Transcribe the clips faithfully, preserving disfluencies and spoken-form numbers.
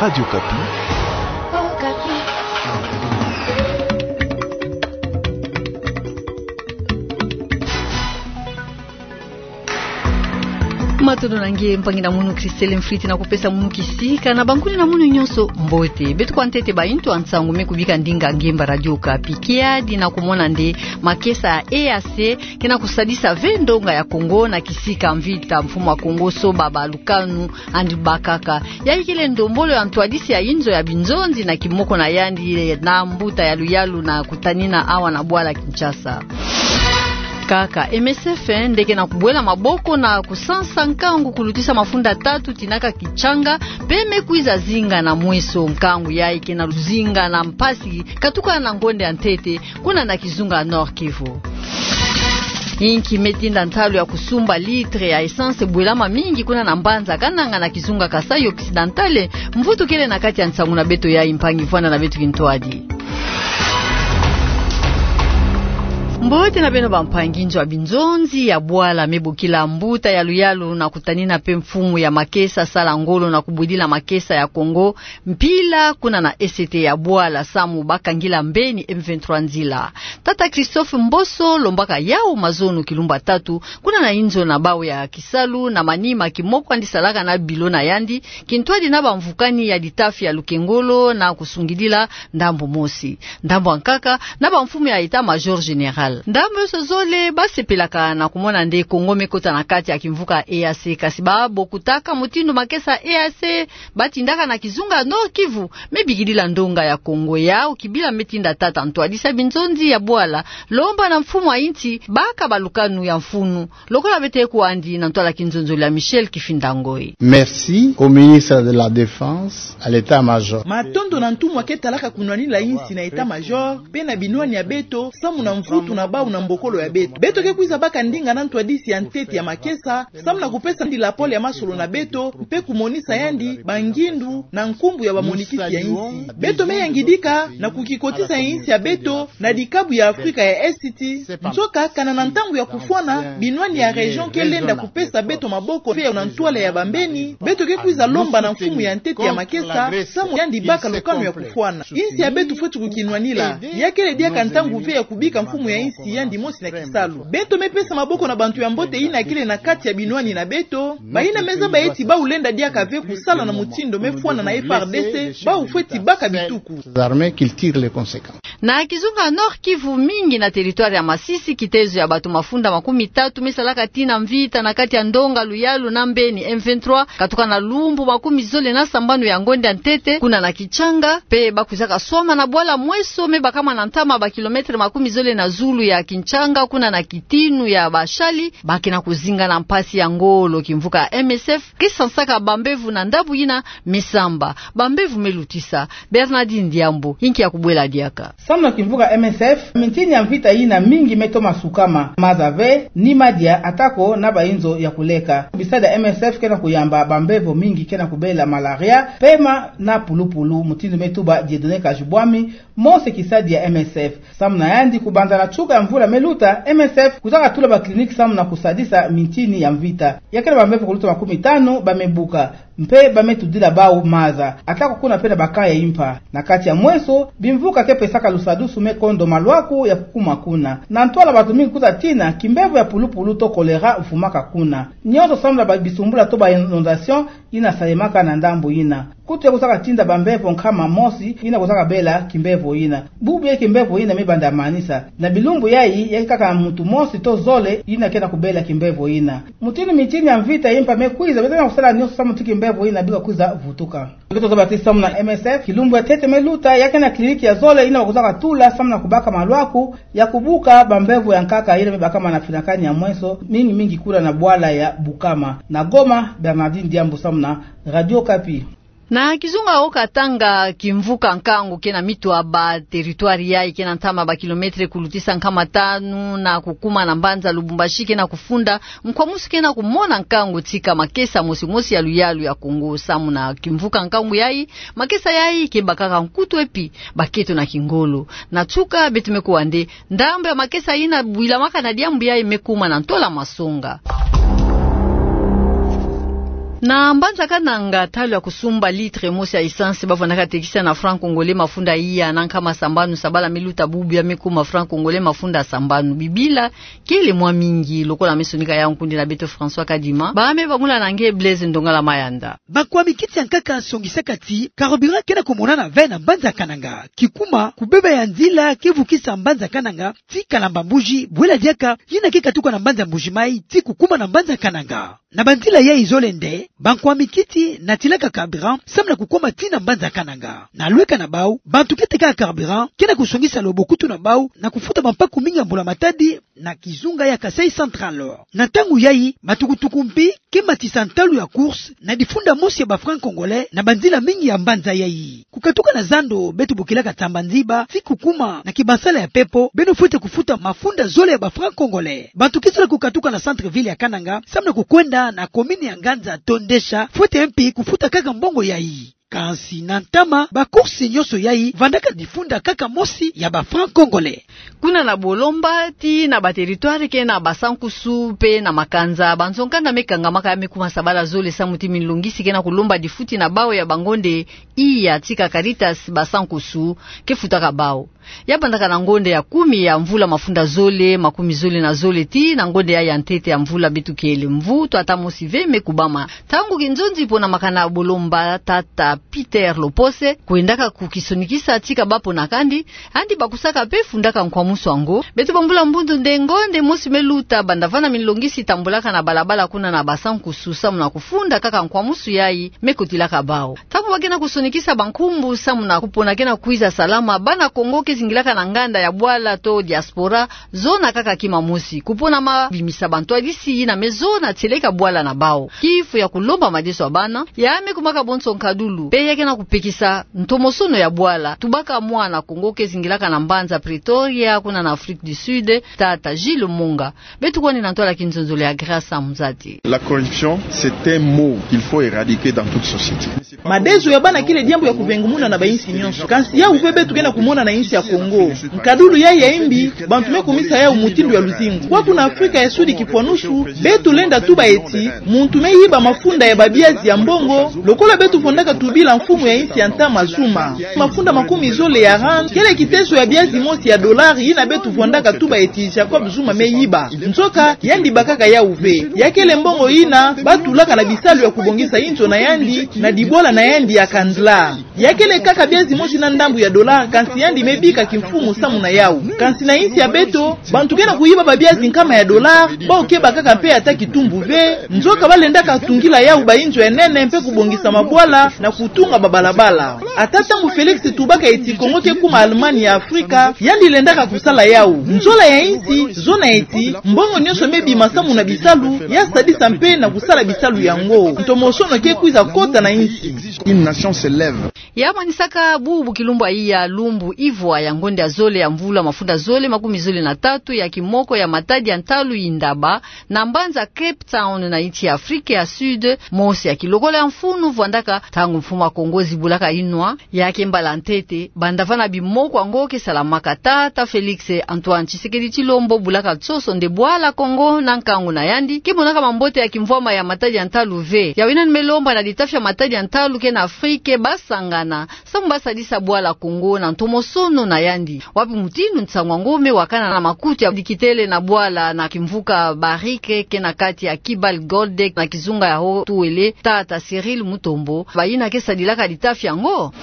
Radio Okapi. Matondo na nge, mpangi na munu Christelle Mfriti, na kupesa munu kisika na bankuni na munu nyonso mbote. Beto kwa ntete baintu ya nsangu me kubika ndinga ngemba Radio Okapi. Kiadi na kumona nde makesa ya E A C ke na kusadisa ve ndonga ya Kongo na kisika mvita, mfumu ya Kongo soba balukanu yandi bakaka. Yayi kele ndombolo ya ntwadisi ya inzo ya binzonzi na kimoko na yandi na mbuta ya luyalu na kutanina awa na bwala Kinshasa. Kaka M S F nde ke na kubwela maboko na kusansa nkangu kulutisa mafunda tatu tinaka Kitshanga, pe me kwiza zinga na mweso. Nkangu yayi ke na luzinga na mpasi katuka na ngonde ya ntete kuna na kizunga Nord-Kivu. Inki me tinda ntalu ya kusumba litre ya essence bwelama mingi kuna na mbanza Kananga na kizunga Kasaï Occidental, mvutu kele na kati ya nsangu na beto yayi, mpangi, vwanda na beto kintwadi. Mbote na beno bampangi. Nzo ya binzonzi ya bwala me bokila mbuta ya luyalu na kutanina pe mfumu ya makesa sala ngolo na kubwidila makesa ya Kongo mpila kuna na E C T ya bwala samu bakangila mbeni M vingt-trois nzila. Tata Christophe Mboso lombaka yawu mazono kilumbu tatu kuna na inzo na bawu ya kisalu na manima kimoko yandi salaka na bilo na yandi, kintwadi na bamvukani ya litafi ya lukengolo na kusungidila ndambu mosi, ndambu ya nkaka na bamfumu ya état-major général. Ndambu yonso zole basepelaka na kumona nde Kongo me kota na kati ya kimvuka E A C, kasi babokutaka mutindu makesa E A C batindaka na kizunga Nord-Kivu me bikidila ndonga ya Kongo. Yawu kibila me tinda tata ntwadisi ya binzonzi ya bwala lomba na mfumu ya insi baka balukanu ya mfunu, lokola beto kwandi na ntwala kinzonzolo ya Michel Kifinda Ngoi. Merci au ministre de la Défense, à l'état-major. Matondo na ntumwa ke talaka kunwanina insi na état-major, pe na binwani ya beto, samu na mvutu na bawu na mbokolo ya beto. Beto ke kwiza baka ndinga na ntwadisi ya ntete ya makesa, samu na kupesa yandi lapole ya masolo na beto, mpe kumonisa yandi bangindu na nkumbu ya bamonikisi ya insi. Beto me yangidika na kukikotisa insi ya beto na dikabu ya Afrika ya Est. Nzoka kana na ntangu ya kufwana, binwani ya région ke lenda kupesa beto maboko mpe na ntwala ya bambeni, beto ke kwiza lomba na mfumu ya ntete ya makesa, samu yandi baka lukanu ya kufwana. Insi ya beto fweti kukinwanila. Ya kele diaka ntangu ve ya kubika mfumu ya insi yandi mosi na kisalu. Beto me pesa maboko na bantu ya mbote yina kele na kati ya binwani na beto, bayina me zaba ti bawu lenda diaka ve kusala na mutindu me fwana na F A R D C, bawu fweti baka bituku. Armées qu'il tire les conséquences. Na kizunga Nord-Kivu, mingi na territoire ya Masisi, kitezo ya bato mafunda makumi tatu me salaka tina mvita na kati ya ndonga luyalu na mbeni M vingt-trois, katuka na lumbu makumi zole na sambanu ya ngonde ya ntete, kuna na Kitshanga, mpe bakwizaka swama na bwala Mweso, me bakama na ntama ba kilomètre makumi zole na zulu ya Kitshanga, kuna na kitinu ya bashali, ba ke na kuzinga na mpasi ya ngolo. Kimvuka M S F ke sansaka bambevo na ndambu yina me samba, bambevo me lutisa. Bernardine Diambu, inki ya kubwela diaka? Samu na kimvuka M S F, mintini ya mvita yina mingi me toma sukama, maza ve, ni madia, atako na bainzo ya kuleka. Bisadi ya M S F ke na kuyamba bambevo mingi ke na kubela malaria, pema na pulupulu, mutindu me tuba Dieudonné Kajubwami, mosi kisadi ya M S F. Samu na yandi, kubanza na nsuka ya mvula me luta, M S F kwizaka tula ba clinique samu na kusadisa mintini ya mvita. Ya kele bambevo kuluta makumi tanu ba me buka, mpe ba me tudila bawu maza, atako kuna mpe na ba cas ya impa. Na kati ya Mweso, bimvuka ke pesaka lusadusu me kondo malwaku ya kukuma kuna. Na ntwala bato mingi kwiza tina, kimbevo ya pulupulu to choléra vumaka kuna. Nyonso samu na ba bisumbula to ba inondation yina salemaka na ndambu yina. Kutu ya kwizaka tinda bambevo nkama mosi yina kwizaka bela kimbevo yina. Bubu ya kimbevo yina me banda manisa. Na bilumbu yayi, ya kaka muntu mosi to zole yina ke na kubela kimbevo yina. Mutindu mintini ya mvita ya impa me kwiza, beto ke na kusala nyonso samu ti kimbevo yina bika kwiza vutuka. Beto zaba ti samu na M S F, kilumbu ya ntete me luta, ya ke na clinique ya zole yina ba kwizaka tula samu na kubaka malwaku ya kubuka bambevo ya nkaka yina me bakama na finakani ya Mweso, mingi mingi kuna na bwala ya Bukama. Na Goma, Bernardine Diambu samu na Radio Okapi. Na kizunga Haut-Katanga, kimvuka Nkangu ke na mitu ya ba territoire yayi ke na ntama ba kilomètre kulutisa nkama tanu na kukuma na mbanza Lubumbashi ke na kufunda, nkwamusu ke na kumona nkangu tika makesa mosi mosi ya luyalu ya Kongo. Samu na kimvuka Nkangu yayi, makesa yayi ke bakaka nkutu epi bakento na kingolo. Na nsuka, beto me kuwa nde ndambu ya makesa yina bwilamaka na diambu yayi me kuma na ntola masonga. Na mbanza Kananga, talo ya kusumba litre mosi ya essence bavwandaka tekisa na franc congolais mafunda iya na nkama sambanu, sabala miluta bubu ya mikuma franc congolais mafunda sambanu. Bibila kele mwa mingi, lokola mesonika ya nkundi na beto François Kadima. Ba me bangula na nge Blaise Ndongala Mayanda. Bakwami kiti ya nkaka songisaka ti carburant ke na kumonana ve na mbanza Kananga. Kikuma kubeba ya nzila ke vukisa mbanza Kananga ti Kalamba Mbuji, bwela diaka yina ke katuka na mbanza Mbuji Mayi ti kukuma na mbanza Kananga. Na banzila yai zole nde, bankwami kiti natilaka carburant samu na kukoma ti na mbanza Kananga. Na lweka na bau, bantu ke tekaka carburant ke na kusongisa lobokutu na bau na kufuta bampaku mingi ya mbula-matadi na kizunga ya Kasaï Central. Na ntangu yai, matukutuku mpi ke matisa ntalu ya course na difunda mosi ya ba francs congolais na banzila mingi ya mbanza yai. Kukatuka na zando beto bokilaka Tsamba Nziba ti kukuma na Kibansala ya Pepo, beno fwete kufuta mafunda zole ya ba francs congolais. Bantu ke zola kukatuka na centre-ville ya Kananga samu na kukwenda na commune ya Nganza to Ndesha, fwete mpi kufuta kaka mbongo yai. Kansi na ntama, ba course nyonso yai vandaka difunda kaka mosi ya ba francs congolais. Kuna na Bolomba tii na ba territoire ke na Basankusu mpe na Makanza, banzo-nkanda me kangamaka ya me kuma sabala zole samu ti minlongisi ke na kulomba difuti na bau ya bangonde iya tika Caritas Basankusu ke futaka bau. Ya bandaka na ngonde ya kumi ya mvula mafunda zole makumi zole na zole tii na ngonde yai ya ntete ya mvula beto kele, mvu to ata mosi ve me kubama. Ntangu kinzonzi pona makana Bolomba, tata Peter Lopose kwendaka kukisonikisa tika bapona kandi, yandi bakusaka mpe fundaka nkwamusu yango. Beto bambula mbundu nde ngonde mosi me luta banda vana minlongisi tambulaka na balabala kuna na Basankusu samu na kufunda kaka nkwamusu yai me kotilaka bau. Ntangu ba ke na kusonikisa bankumbu samu na kupona ke na kwiza salama, bana Kongo ke zingilaka na nganda ya bwala to diaspora zona kaka kima mosi, kupona ma bimisa bantwadisi yina me zona tieleka bwala na bau. Kifu ya kulomba madeso ya bana ya me kumaka bonso nkadulu, mpe ya ke na kupekisa ntomosono ya bwala. Tubaka mwana Kongo ke zingilaka na mbanza Pretoria, kuna na Afrique du Sud, tata Gilles Monga. Beto kwani na ntwala kinzonzolo ya Grâce Amuzati. La corruption, c'est un mot qu'il faut éradiquer dans toute société. Madeso ya bana kele diambu ya kuvengumuna na bainsi nyonso. Kansi yau mpe beto ke na kumona na insi ya Kongo. Nkadulu yai ya imbi, bantu me kumisa yau mutindu ya luzingu. Kwaku na Afrika ya Sudi kifwanusu, beto lenda tuba eti, muntu me yiba mafunda ya babiazi ya mbongo, lokola beto vwandaka tubila mfumu ya insi ya ntama Zuma. Mafunda makumi zole ya rand, kele kiteso ya biazi mosi ya dollar yina beto vwandaka tuba eti Jacob Zuma me yiba. Nzoka, yandi bakaka yau ve. Ya kele mbongo yina ba tulaka na bisalu ya kubongisa inzo na yandi, na dibwala na yandi ya Candlard. Ya kele kaka biazi mosi na ndambu ya dollar, kansi yandi me bika kimfumu samu na yau. Kansi na insi ya beto, bantu ke na kuyiba babiazi nkama ya dollar, bau ke bakaka mpe ata kitumbu ve, nzoka ba lendaka tungila yau bainzo ya nene mpe kubongisa mabwala na kutunga babalabala. Ata ntangu Félix tubaka eti Kongo ke kuma Allemagne ya Afrika, yandi lendaka kusala yau. Nzola ya insi, zona eti, mbongo nyonso me bima samu na bisalu, ya sadisa mpe na kusala bisalu yango. Ntomosono ke kwiza kota na insi. Une nation se lève. Ya manisaka bubu kilumbu ya iya, lumbu ivwa ya ngonde ya zole ya mvula mafunda zole makumi zole na tatu ya kimoko ya matadi ya ntalu Indaba, na mbanza Cape Town na insi ya Afrika ya Sud, mosi ya kilokolo ya mfunu vwandaka ntangu mfumu ya Kongo zibulaka inwa, ya ke mbala ntete banda vana bimoko yango ke salamaka. Tata Félix Antoine Tshisekedi Tshilombo bulaka nsoso nde bwala Kongo na nkangu na yandi ke monaka mambote ya kimvwama ya matadi ya ntalu ve. Yau yina ni me lomba na litafi ya matadi ya ntalu ke na Afrika ba sangana samu ba sadisa bwala Kongo na ntomosono na yandi. Wapi mutindu nsangu yango me wakana na makutu ya dikitele na bwala na kimvuka Barrick ke na kati ya Kibali Gold na kizunga ya Haut-Uele, tata Cyril Mutombo, bayina ke sadilaka litafi yango?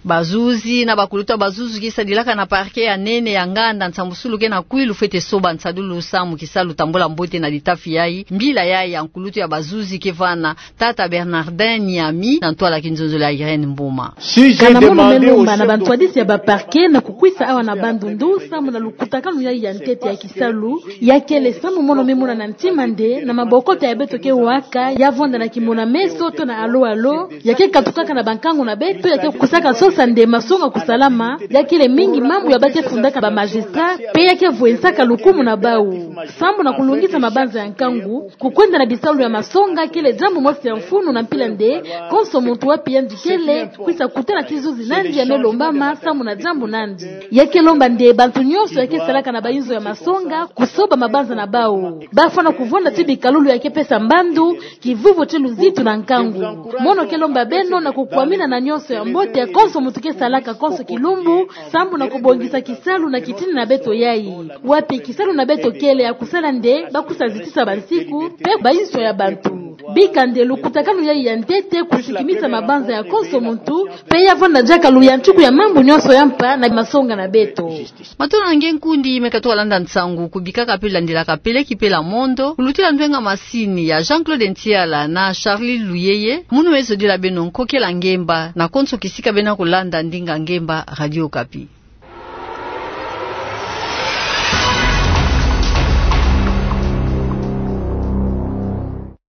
Bazuzi na bakulutu ya bazuzi ke sadilaka na parquet ya nene ya nganda nsambusulu ke na Kwilu fwete soba nsadulu samu kisalu tambula mbote na litafi yai. Mbila yai ya nkulutu ya bazuzi ke vana tata Bernardin Niami na ntwala kinzonzolo ya Irène Mboma. Kana mono me lomba na bantwadisi ya ba parquet na kukwisa awa na Bandundu samu na lukutakanu yai ya ntete ya kisalu, ya kele samu mono me mona na ntima nde na mabokoto ya beto ke waka, ya vwanda na kimona-meso to na alo-alo, ya ke katukaka na bankangu na beto, ya ke kusaka nsoso Sa nde masonga kusalama, ya kele mingi mambu ya ba ke fundaka ba magistrat, pe ya ke vwensaka lukumu na bau. Sambu na kulungisa mabanza ya nkangu, kukwenda na bisalu ya masonga kele diambu mosi ya mfunu na mpila nde, konso muntu wapi yandi kele, kwisa kutana ti zuzi nandi ya me lombama, sambu na diambu nandi. Ya ke lomba nde bantu nyonso ya ke salaka na ba inzo ya masonga, kusoba mabanza na bau. Ba fwana kuvonda ti bikalulu ya ke pesa mbandu, kivuvu ti luzitu na nkangu. Mono ke lomba beno na kukwamina na nyonso ya mbote ya konso muntu ke salaka konso kilumbu, sambu na kubongisa kisalu na kitini na beto yayi. Wapi kisalu na beto kele ya kusala nde, ba kusa zitisa bansiku, pe ba inzo ya bantu. Bika nde lukutakanu yayi ya ntete kusikimisa mabanza ya konso muntu, pe ya vwanda diaka luyantiku ya mambu nyonso ya mpa na masonga na beto. Matondo na nge nkundi me katuka landa nsangu, kubikaka pe landilaka pele ki pela mondo, kulutila ndwenga masini ya Jean-Claude Ntiala na Charlie Luyeye, munu me zodila beno nkokela ngemba, na konso kisika beno kulanda ndinga ngemba Radio Okapi.